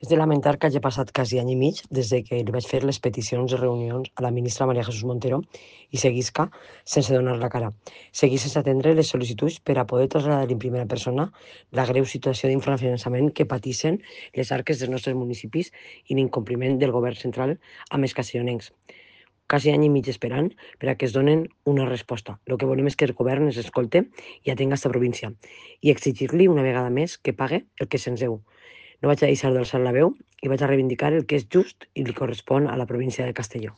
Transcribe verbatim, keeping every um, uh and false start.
És de lamentar que hagi passat quasi any i mig des de que li vaig fer les peticions de reunions a la ministra María Jesús Montero i seguisca sense donar la cara. Seguís sense atendre les sol·licituds per a poder traslladar en primera persona la greu situació d'infrafinançament que pateixen les arques dels nostres municipis i l'incompliment del govern central amb els castellonencs. Quasi any i mig esperant per a que es donen una resposta. El que volem és que el govern ens escolte i atenga esta província i exigir-li una vegada més que pague el que se'ns deu. No vaig a deixar d'alçar la veu i vaig a reivindicar el que és just i li correspon a la província de Castelló.